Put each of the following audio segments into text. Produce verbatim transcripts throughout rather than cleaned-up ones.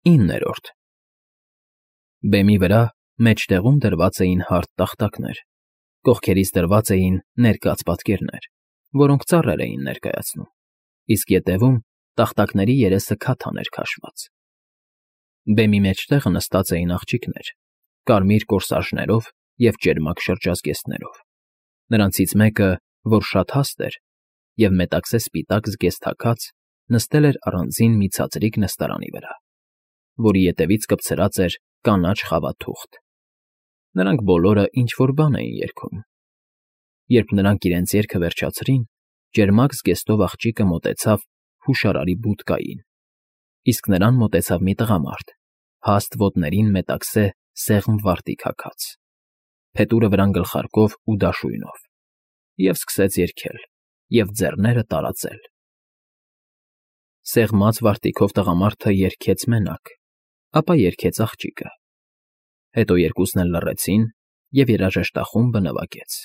Իններորդ Բեմի վրա մեջտեղում դրված էին հարթ տախտակներ, կողքերից դրված էին ներկած պատկերներ, որոնք ծառեր էին ներկայացնում, իսկ ետևում տախտակների երեսը քաթան էր քաշված։ Բեմի մեջտեղը նստած էին աղջիկներ, կարմիր կորսաժներով և ճերմակ շրջազգեստներով, նրանցից մեկը, որ շատ հաստ էր և մետաքսե սպիտակ զգեստ հագած, նստել էր առանձին մի ցածրիկ նստարանի վրա, որի ետևից կպցրած էր կանաչ խավա թուղթ. նրանք բոլորը ինչ֊որ բան էին երգում։ Երբ նրանք իրենց երգը վերջացրին, ճերմակ զգեստով աղջիկը մոտեցավ հուշարարի բուդկային, իսկ նրան մոտեցավ մի տղամարդ, հաստ ոտներին մետաքսե սեղմ վարտիք հագած, փետուրը վրան գլխարկով ու դաշույնով, և սկսեց երգել և ձեռները տարածել։ Սեղմած վարտիքով տղամարդը երգեց մենակ, ապա երգեց աղջիկը, հետո երկուսն էլ լռեցին, և երաժշտախումբը նվագեց։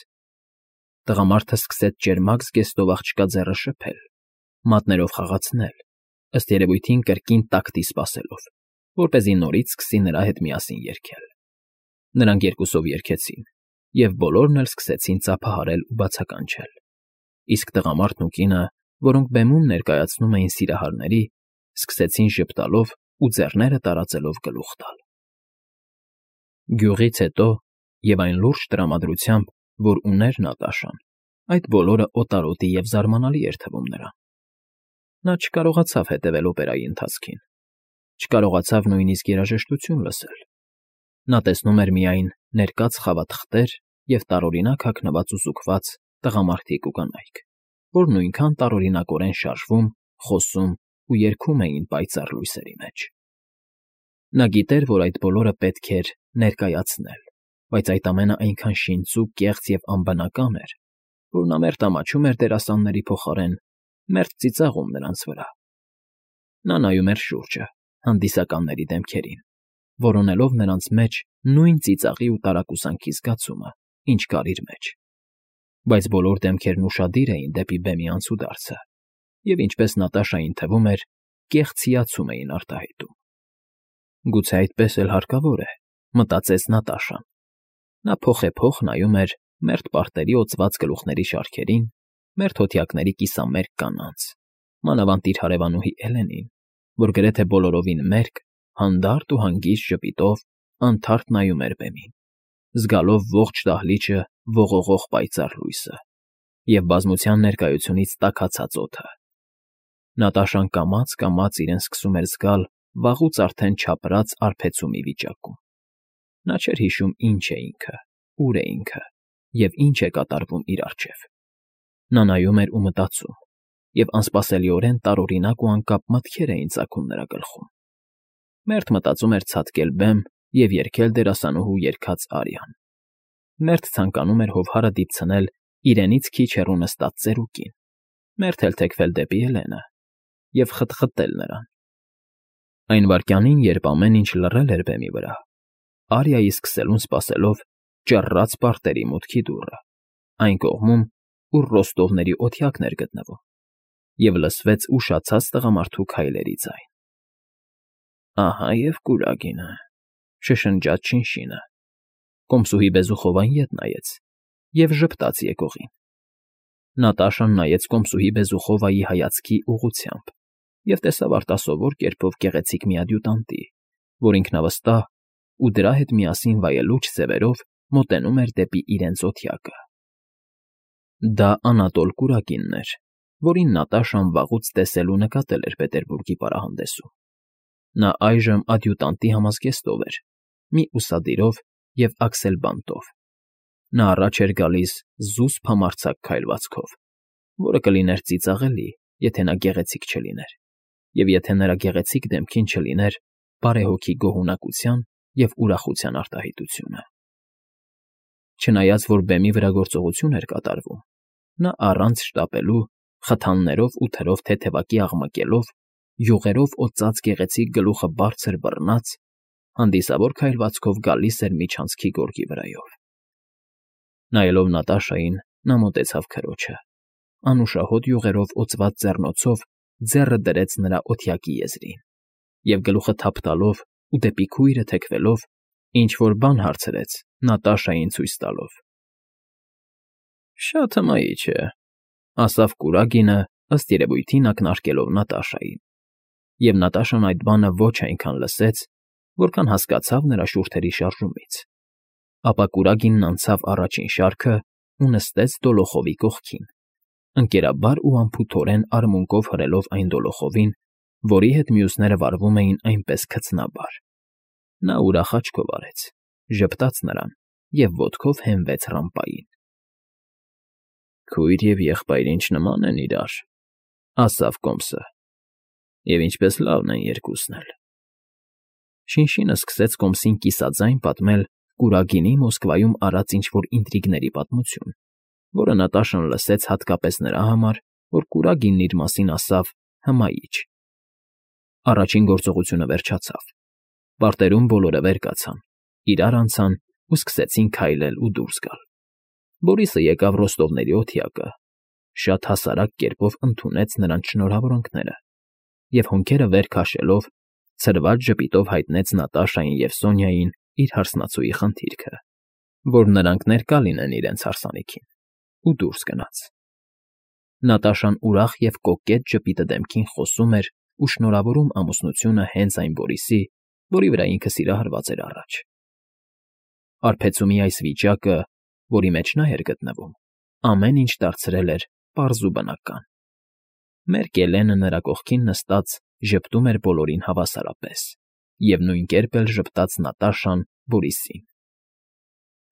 Տղամարդը սկսեց ճերմակ զգեստով աղջկա ձեռը շփել, մատներով խաղացնել, ըստ երևույթին կրկին տակտի սպասելով, որպեսզի նորից սկսի նրա հետ միասին երգել։ Նրանք երկուսով երգեցին, և բոլորն էլ սկսեցին ծափահարել ու բացականչել, իսկ տղամարդն ու կինը, որոնք բեմում ներկայացնում էին սիրահարների, սկսեցին ժպտալով ու ձեռները տարածելով գլուխ տալ։ Գյուղից հետո և այն լուրջ տրամադրությամբ, որ ուներ Նատաշան, այդ բոլորը օտարոտի և զարմանալի էր թվում նրան։ Նա չկարողացավ հետևել օպերայի ընթացքին, չկարողացավ նույնիսկ երաժշտություն լսել։ Նա տեսնում էր միայն ներկած խավաթղթեր և տարօրինակ հագնված ու զուգված տղամարդիկ ու կանայք, որ նույնքան տարօրինակորեն շարժվում, խոսում ու երգում էին պայծառ լույսերի մեջ։ Նա գիտեր, որ այդ բոլորը պետք էր ներկայացնել, բայց այդ ամենը այնքան շինծու, կեղծ և անբնական էր, որ նա մերթ ամաչում էր դերասանների փոխարեն, մերթ ծիծաղում նրանց վրա։ Նա նայում էր շուրջը, հանդիսականների դեմքերին, որոնելով նրանց մեջ նույն ծիծաղի ու տարակուսանքի զգացումը, ինչ կար իր մեջ, բայց բոլոր դեմքերն ուշադիր էին դեպի բեմի անցուդարձը և, ինչպես Նատաշային թվում էր, կեղծ հիացում էին արտահայտում։ Գուցե այդպես էլ հարկավոր է, մտածեց Նատաշան։ Նա փոխեփոխ նայում էր մերթ պարտերի օծված գլուխների շարքերին, մերթ հոթյակների կիսամերկ կանանց, մանավանդ իր հարևանուհի Էլենին, որ գրեթե բոլորովին մերկ, հանդարտ ու հանգիստ ժպիտով անթարթ նայում էր բեմին, զգալով ողջ դահլիճը ողողող պայծառ լույսը և բազմության ներկայությունից տաքացած օդը։ Նատաշան կամաց֊կամաց իրեն սկսում էր զգալ վաղուց արդեն չապրած արբեցումի վիճակում։ Նա չէր հիշում ինչ է ինքը, ուր է ինքը և ինչ է կատարվում իր առջև։ Նա նայում էր ու մտածում, և անսպասելիորեն տարօրինակ ու անկապ մտքեր էին ծագում նրա գլխում։ Մերթ մտածում էր ցատկել բեմ և երգել դերասանուհու երգած արիան, մերթ ցանկանում էր հովհարը դիպցնել իրենից քիչ հեռու նստած ծերուկին, մերթ էլ թեքվել դեպի Էլենը և խտխտել նրան։ Այն վայրկյանին, երբ ամեն ինչ լռել էր բեմի վրա, Արիայի սկսելուն սպասելով ճռռաց պարտերի մուտքի դուռը, այն կողմում, ուր ռոստովների օթյակն էր գտնվում, և լսվեց ուշացած տղամարդու քայլերի ձայն։ «Ահա և կուրագինը,֊ շշնջաց շինշինը։ Կոմսուհի Բեզուխովան ետ նայեց և ժպտաց եկողին։ Նատաշան նայեց կոմսուհի Բեզուխովայի հայացքի ուղղությամբ և տեսավ արտասովոր կերպով գեղեցիկ մի ադյուտանտի, որ ինքնավստահ ու դրա հետ միասին վայելուչ ձևերով մոտենում էր դեպի իրենց օթյակը։ Դա Անատոլ Կուրագինն էր, որին Նատաշան վաղուց տեսել ու նկատել էր Պետերբուրգի պարահանդեսում։ Նա այժմ ադյուտանտի համազգեստով էր, մի ուսադիրով և աքսելբանտով։ Նա առաջ էր գալիս զուսպ համարձակ քայլվածքով, որը կլիներ ծիծաղելի, եթե նա գեղեցիկ չլիներ, և եթե նրա գեղեցիկ դեմքին չլիներ բարեհոգի գոհունակության և ուրախության արտահայտությունը։ Չնայած որ բեմի վրա գործողություն էր կատարվում, նա առանց շտապելու, խթաններով ու թրով թեթևակի աղմկելով, յուղերով օծած գեղեցիկ գլուխը բարձր բռնած, հանդիսավոր քայլվածքով գալիս էր միջանցքի գորգի վրայով։ Նայելով Նատաշային՝ նա մոտեցավ քրոջը, անուշահոտ յուղերով օծված ձեռնոցով ձեռը դրեց նրա օթյակի եզրին և գլուխը թափ տալով ու դեպի քույրը թեքվելով, ինչ֊որ բան հարցրեց Նատաշային ցույց տալով։ ֊ Շատ հմայիչ է,֊ ասավ կուրագինը, ըստ երևույթին ակնարկելով Նատաշային, և Նատաշան այդ բանը ոչ այնքան լսեց, որքան հասկացավ նրա շուրթերի շարժումից, ապա կուրագինն անցավ առաջին շարքն ու նստեց դոլոխովի կողքին, ընկերաբար ու անփութորեն արմունկով հրելով այն դոլոխովին, որի հետ մյուսները վարվում էին այնպես քծնաբար։ Նա ուրախ աչքով արեց, ժպտաց նրան և ոտքով հենվեց ռամպային։ ֊ Քույր և եղբայր ինչ նման են իրար,֊ ասավ կոմսը,֊ և ինչպես լավն են երկուսն էլ… Շինշինը սկսեց կոմսին կիսաձայն պատմել կուրագինի Մոսկվայում արած ինչ֊որ ինտրիգների պատմություն, որը Նատաշան լսեց հատկապես նրա համար, որ կուրագինն իր մասին ասավ «հմայիչ»։ Առաջին գործողությունը վերջացավ. պարտերում բոլորը վեր կացան, իրար անցան ու սկսեցին քայլել ու դուրս գալ։ Բորիսը եկավ Ռոստովների օթյակը, շատ հասարակ կերպով ընդունեց նրանց շնորհավորանքները և, հոնքերը վեր քաշելով, ցրված ժպիտով հայտնեց Նատաշային և Սոնյային իր հարսնացուի խնդիրքը, որ նրանք ներկա լինեն իրենց հարսանիքին, ու դուրս գնաց։ Նատաշան ուրախ և կոկետ ժպիտը դեմքին խոսում էր ու շնորհավորում ամուսնությունը հենց այն Բորիսի, որի վրա ինքը սիրահարված էր առաջ։ Արբեցումի այս վիճակը, որի մեջ նա էր գտնվում, ամեն ինչ դարձրել էր պարզ ու բնական։ Մերկ Էլենը նրա կողքին նստած ժպտում էր բոլորին հավասարապես, և նույն կերպ էլ ժպտաց Նատաշան Բորիսին։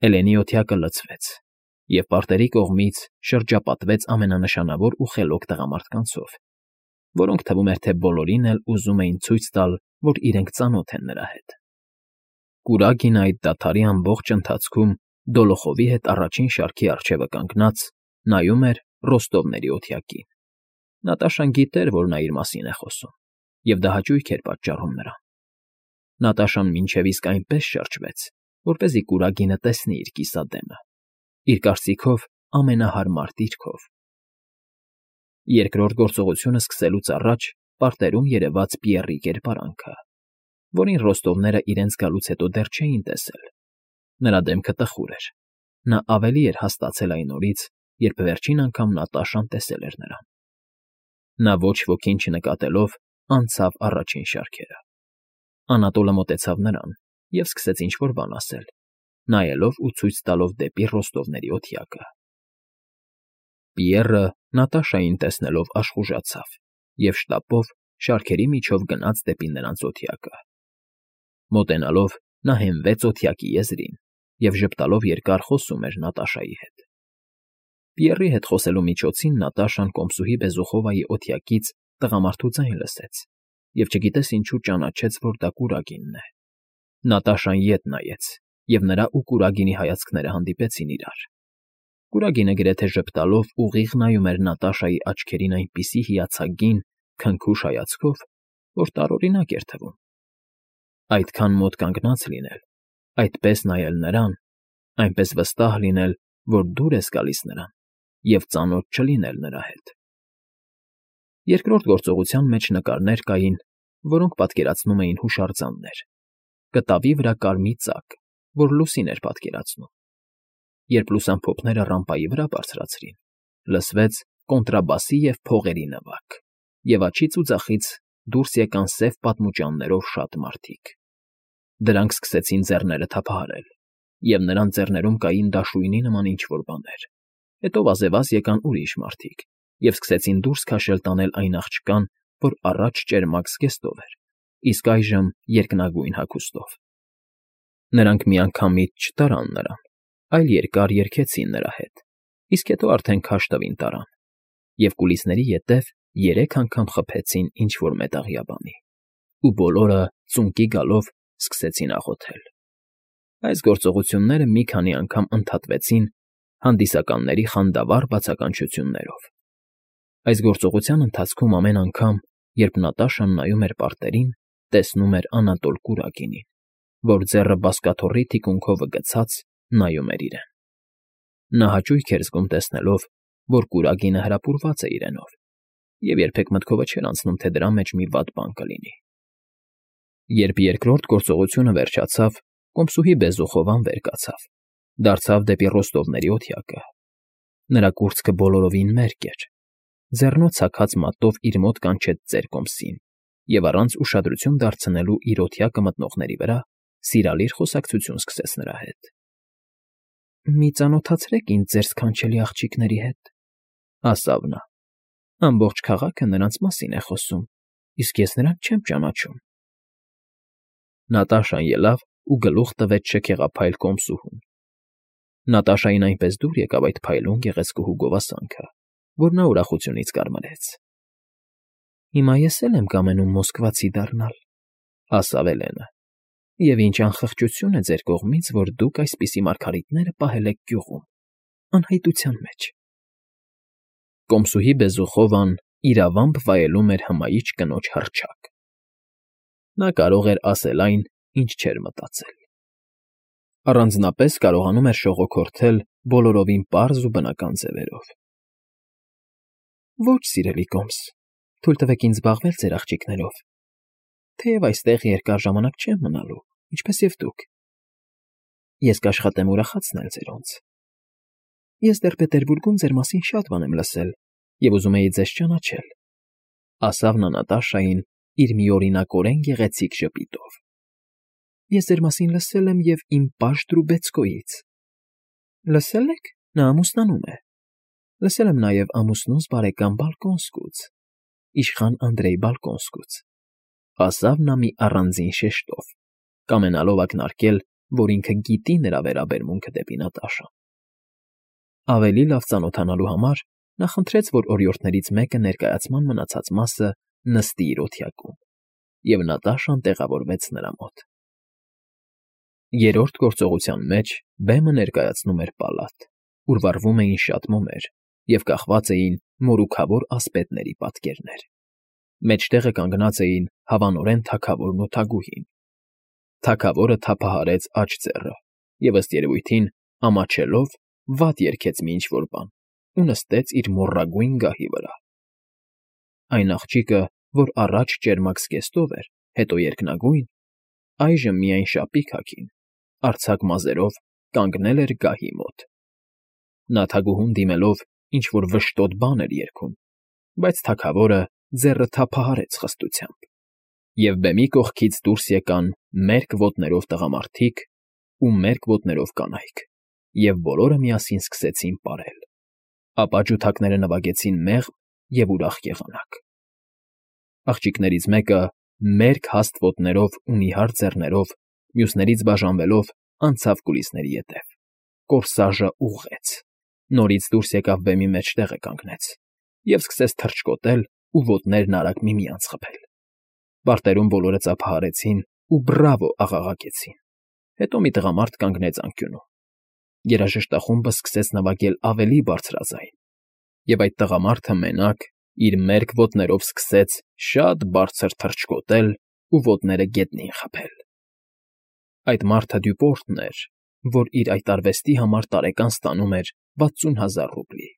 Էլենի օթյակը լցվեց, և պարտերի կողմից շրջապատվեց ամենանշանավոր ու խելոք տղամարդկանցով, որոնք թվում էր, թե բոլորին էլ ուզում էին ցույց տալ, որ իրենք ծանոթ են նրա հետ։ Կուրագինը այդ դադարի ամբողջ ընթացքում դոլոխովի հետ առաջին շարքի առջևը կանգնած նայում էր Ռոստովների օթյակին։ Նատաշան գիտեր, որ նա իր մասին է խոսում, և դա հաճույք էր պատճառում նրան։ Նատաշան մինչև իսկ այնպես շրջվեց, որպեսզի կուրագինը տեսնի իր կիսադեմը, իր կարծիքով ամենահարմար դիրքով։ Երկրորդ գործողությունը սկսելուց առաջ պարտերում երևաց Պիեռի կերպարանքը, որին ռոստովները իրենց գալուց հետո դեռ չէին տեսել։ Նրա դեմքը տխուր էր, նա ավելի էր հաստացել այն օրից, երբ վերջին անգամ Նատաշան տեսել էր նրան։ Նա ոչ ոքին չնկատելով անցավ առաջին շարքերը։ Անատոլը մոտեցավ նրան և սկսեց ինչ֊որ բան ասել, նայելով ու ցույց տալով դեպի Ռոստովների օթյակը։ Պիեռը Նատաշային տեսնելով աշխուժացավ և շտապով շարքերի միջով գնաց դեպի նրանց օթյակը։ Մոտենալով նա հենվեց օթյակի եզրին և ժպտալով երկար խոսում էր Նատաշայի հետ։ Պիեռի հետ խոսելու միջոցին Նատաշան կոմսուհի Բեզուխովայի օթյակից տղամարդու ձայն լսեց և չգիտես ինչու ճանաչեց, որ դա կուրագինն է։ Նատաշան ետ նայեց, և նրա ու կուրագինի հայացքները հանդիպեցին իրար։ Կուրագինը գրեթե ժպտալով ուղիղ նայում էր Նատաշայի աչքերին այնպիսի հիացագին, քնքուշ հայացքով, որ տարօրինակ էր թվում։ Այդքան մոտ կանգնած լինել, այդպես նայել նրան, այնպես վստահ լինել, որ դուր ես գալիս նրան, և ծանոթ չլինել նրա հետ։ Երկրորդ գործողության մեջ նկարներ կային, որոնք պատկերացնում էին հուշարձաններ, կտավի վրա կար մի ծակ, որ լուսին էր պատկերացնում։ Երբ լուսամփոփները ռամպայի վրա բարձրացրին, լսվեց կոնտրաբասի և փողերի նվագ, և աջից ու ձախից դուրս եկան սև պատմուճաններով շատ մարդիկ։ Դրանք սկսեցին ձեռները թափահարել, և նրանց ձեռներում կային դաշույնի նման ինչ֊որ բաներ։ Հետո վազևազ եկան ուրիշ մարդիկ և սկսեցին դուրս քաշել տանել այն աղջկան, որ առաջ ճերմակ զգեստով էր, իսկ այժմ երկնագույն հագուստով։ Նրանք միանգամից չտարան նրան, այլ երկար երգեցին նրա հետ, իսկ հետո արդեն քաշ տվին տարան, և կուլիսների ետև երեք անգամ խփեցին ինչ֊որ մետաղյա բանի, ու բոլորը ծունկի գալով սկսեցին աղոթել։ Այս գործողությունները մի քանի անգամ ընդհատվեցին հանդիսականների խանդավառ բացականչություններով։ Այս գործողության ընթացքում ամեն անգամ, երբ Նատաշան նայում էր պարտերին, տեսնում էր Անատոլ Կուրագինին, որ ձեռը բազկաթոռի թիկունքովը գցած նայում էր իրեն։ Նա հաճույք էր զգում տեսնելով, որ կուրագինը հրապուրված է իրենով, և երբեք մտքովը չէր անցնում, թե դրա մեջ մի վատ բան կլինի։ Երբ երկրորդ գործողությունը վերջացավ, կոմսուհի Բեզուխովան վեր կացավ, դարձավ դեպի ռոստովների օթյակը։ Նրա կուրծքը բոլորովին մերկ էր, ձեռնոց հագած մատով իր մոտ կանչեց ծեր կոմսին և առանց ուշադրություն դարձնելու իր օթյակը մտնողների վրա սիրալիր խոսակցություն սկսեց նրա հետ։ «Մի ծանոթացրեք ինձ ձեր սքանչելի աղջիկների հետ,֊ ասավ նա,֊ ամբողջ քաղաքը նրանց մասին է խոսում, իսկ ես նրանց չեմ ճանաչում»։ Նատաշան ելավ ու գլուխ տվեց շքեղափայլ կոմսուհուն։ Նատաշային այնպես դուր եկավ այդ փայլուն գեղեցկուհու գովասանքը, որ նա ուրախությունից կարմրեց։ «Հիմա ես էլ եմ կամենում մոսկվացի դառնալ,֊ ասավ Էլենը,֊ և ինչ անխղճություն է ձեր կողմից, որ դուք այսպիսի մարգարիտները պահել եք գյուղում, անհայտության մեջ»։ Կոմսուհի Բեզուխովան իրավամբ վայելում էր հմայիչ կնոջ հռչակ։ Նա կարող էր ասել այն, ինչ չէր մտածել։ Առանձնապես կարողանում էր շողոքորթել բոլորովին պարզ ու բնական ձևերով։ «Ոչ, սիրելի կոմս, թույլ տվեք ինձ զբաղվել ձեր աղջիկներով, թեև այստեղ երկար ժամանակ չեմ մնալու, ինչպես և դուք։ Ես կաշխատեմ ուրախացնել ձերոնց։ Ես դեռ Պետերբուրգում ձեր մասին շատ բան եմ լսել և ուզում էի ձեզ ճանաչել,֊ ասավ նա Նատաշային իր միօրինակորեն գեղեցիկ ժպիտով։ «Ես ձեր մասին լսել եմ և իմ պաշտ Դրուբեցկոյից»։ «Լսել եք, նա ամուսնանում է։ Լսել եմ նաև ամուսնուս բարեկամ Բալկոնսկուց, իշխան Անդրեյ Բալկոնսկուց», ասավ նա մի առանձին շեշտով, կամենալով ակնարկել, որ ինքը գիտի նրա վերաբերմունքը դեպի Նատաշան։ Ավելի լավ ծանոթանալու համար նա խնդրեց, որ օրիորդներից մեկը ներկայացման մնացած մասը նստի իր օթյակում, և Նատաշան տեղավորվեց նրա մոտ։ Երրորդ գործողության մեջ բեմը ներկայացնում էր պալատ, ուր վառվում էին շատ մոմեր և կախված էին մորուքավոր ասպետների պատկերներ։ Մեջտեղը կանգնած էին հավանորեն թագավորն ու թագուհին։ Թագավորը թափահարեց աջ ձեռը և, ըստ երևույթին, ամաչելով, վատ երգեց մի ինչ֊որ բան ու նստեց իր մոռագույն գահի վրա։ Այն աղջիկը, որ առաջ ճերմակ զգեստով էր, հետո երկնագույն, այժմ միայն շապիկ հագին, արձակ մազերով կանգնել էր գահի մոտ։ Նա թագուհուն դիմելով ինչ֊որ վշտոտ բան էր երգում, բայց թագավորը ձեռը թափահարեց խստությամբ, և բեմի կողքից դուրս եկան մերկ ոտներով տղամարդիկ ու մերկ ոտներով կանայք, և բոլորը միասին սկսեցին պարել, ապա ջութակները նվագեցին մեղմ և ուրախ եղանակ։ Աղջիկներից մեկը մերկ հաստ ոտներով ու նիհար ձեռներով, մյուսներից բաժանվելով, անցավ կուլիսների ետև, կորսաժը ուղղեց, նորից դուրս եկավ բեմի մեջտեղը կանգնեց և սկսեց թռչկոտել ու ոտներն արագ միմյանց խփել։ Պարտերում բոլորը ծափահարեցին ու «բռավո» աղաղակեցին։ Հետո մի տղամարդ կանգնեց անկյունում։ Երաժշտախումբը սկսեց նվագել ավելի բարձրաձայն, և այդ տղամարդը մենակ իր մերկ ոտներով սկսեց շատ բարձր թռչկոտել ու ոտները գետնին խփել։ Այդ մարդը Դյուպորտն էր, որ իր այդ արվեստի համար տարեկան ստանում էր վաթսուն հազար ռուբլի։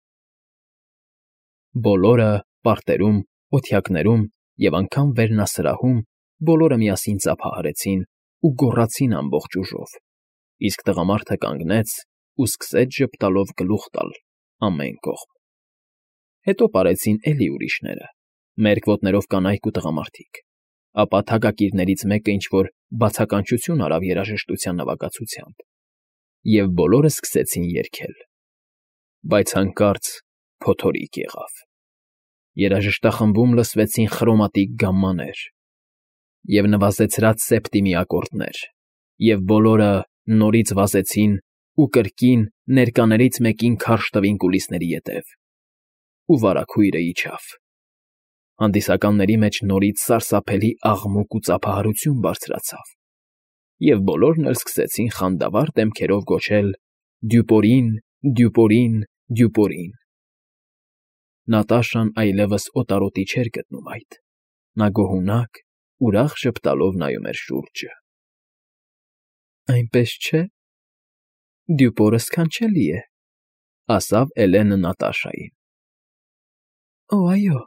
Բոլորը պարտերում, օթյակներում և անգամ վերնասրահում բոլորը միասին ծափահարեցին ու գոռացին ամբողջ ուժով, իսկ տղամարդը կանգնեց ու սկսեց ժպտալով գլուխ տալ ամեն կողմ։ Հետո պարեցին էլի ուրիշները, մերկ ոտներով կանայք ու տղամարդիկ, ապա թագակիրներից մեկը ինչ֊որ բացականչություն արավ երաժշտության նվագածությամբ, և բոլորը սկսեցին երգել։ Բայց հանկարծ փոթորիկ եղավ։ Երաժշտախմբում լսվեցին խրոմատիկ գամմաներ և նվազեցրած սեպտիմի ակորդներ, և բոլորը նորից վազեցին ու կրկին ներկաներից մեկին քարշ տվին կուլիսների ետև, ու վարագույրը իջավ։ Հանդիսականների մեջ նորից սարսափելի աղմուկ ու ծափահարություն բարձրացավ, և բոլորն էլ սկսեցին խանդավառ դեմքերով գոչել. «Դյուպորին, Դյուպորին, Դյուպորին»։ Նատաշան այլևս օտարոտի չէր գտնում այդ։ Նա գոհունակ, ուրախ ժպտալով նայում էր շուրջը։ «Այնպես չէ՞, Դյուպորը սքանչելի է,֊ ասավ Էլենը Նատաշային։ «Օ, այո,֊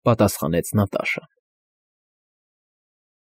պատասխանեց Նատաշան։